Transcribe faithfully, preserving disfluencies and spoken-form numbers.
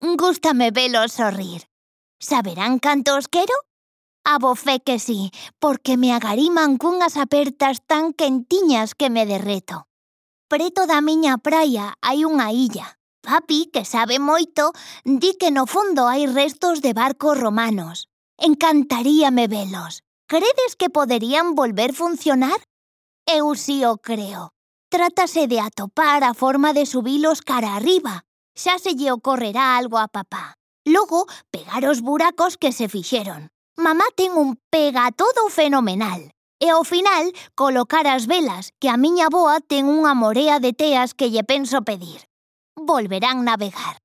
Gústame velos sorrir. Saberán canto os quero? A bo fe que sí, porque me agariman cunhas apertas tan quentiñas que me derreto. Preto da miña praia hai unha illa. Papi, que sabe moito, di que no fondo hai restos de barcos romanos. Encantaríame velos. Credes que poderían volver funcionar? Eu si o creo. Trátase de atopar a forma de subilos cara arriba. Xa se lle ocorrerá algo a papá. Logo, pegar os buracos que se fixeron. Mamá ten un pega todo fenomenal. E ao final, colocar as velas, que a miña avoa ten unha morea de teas que lle penso pedir. Volverán navegar.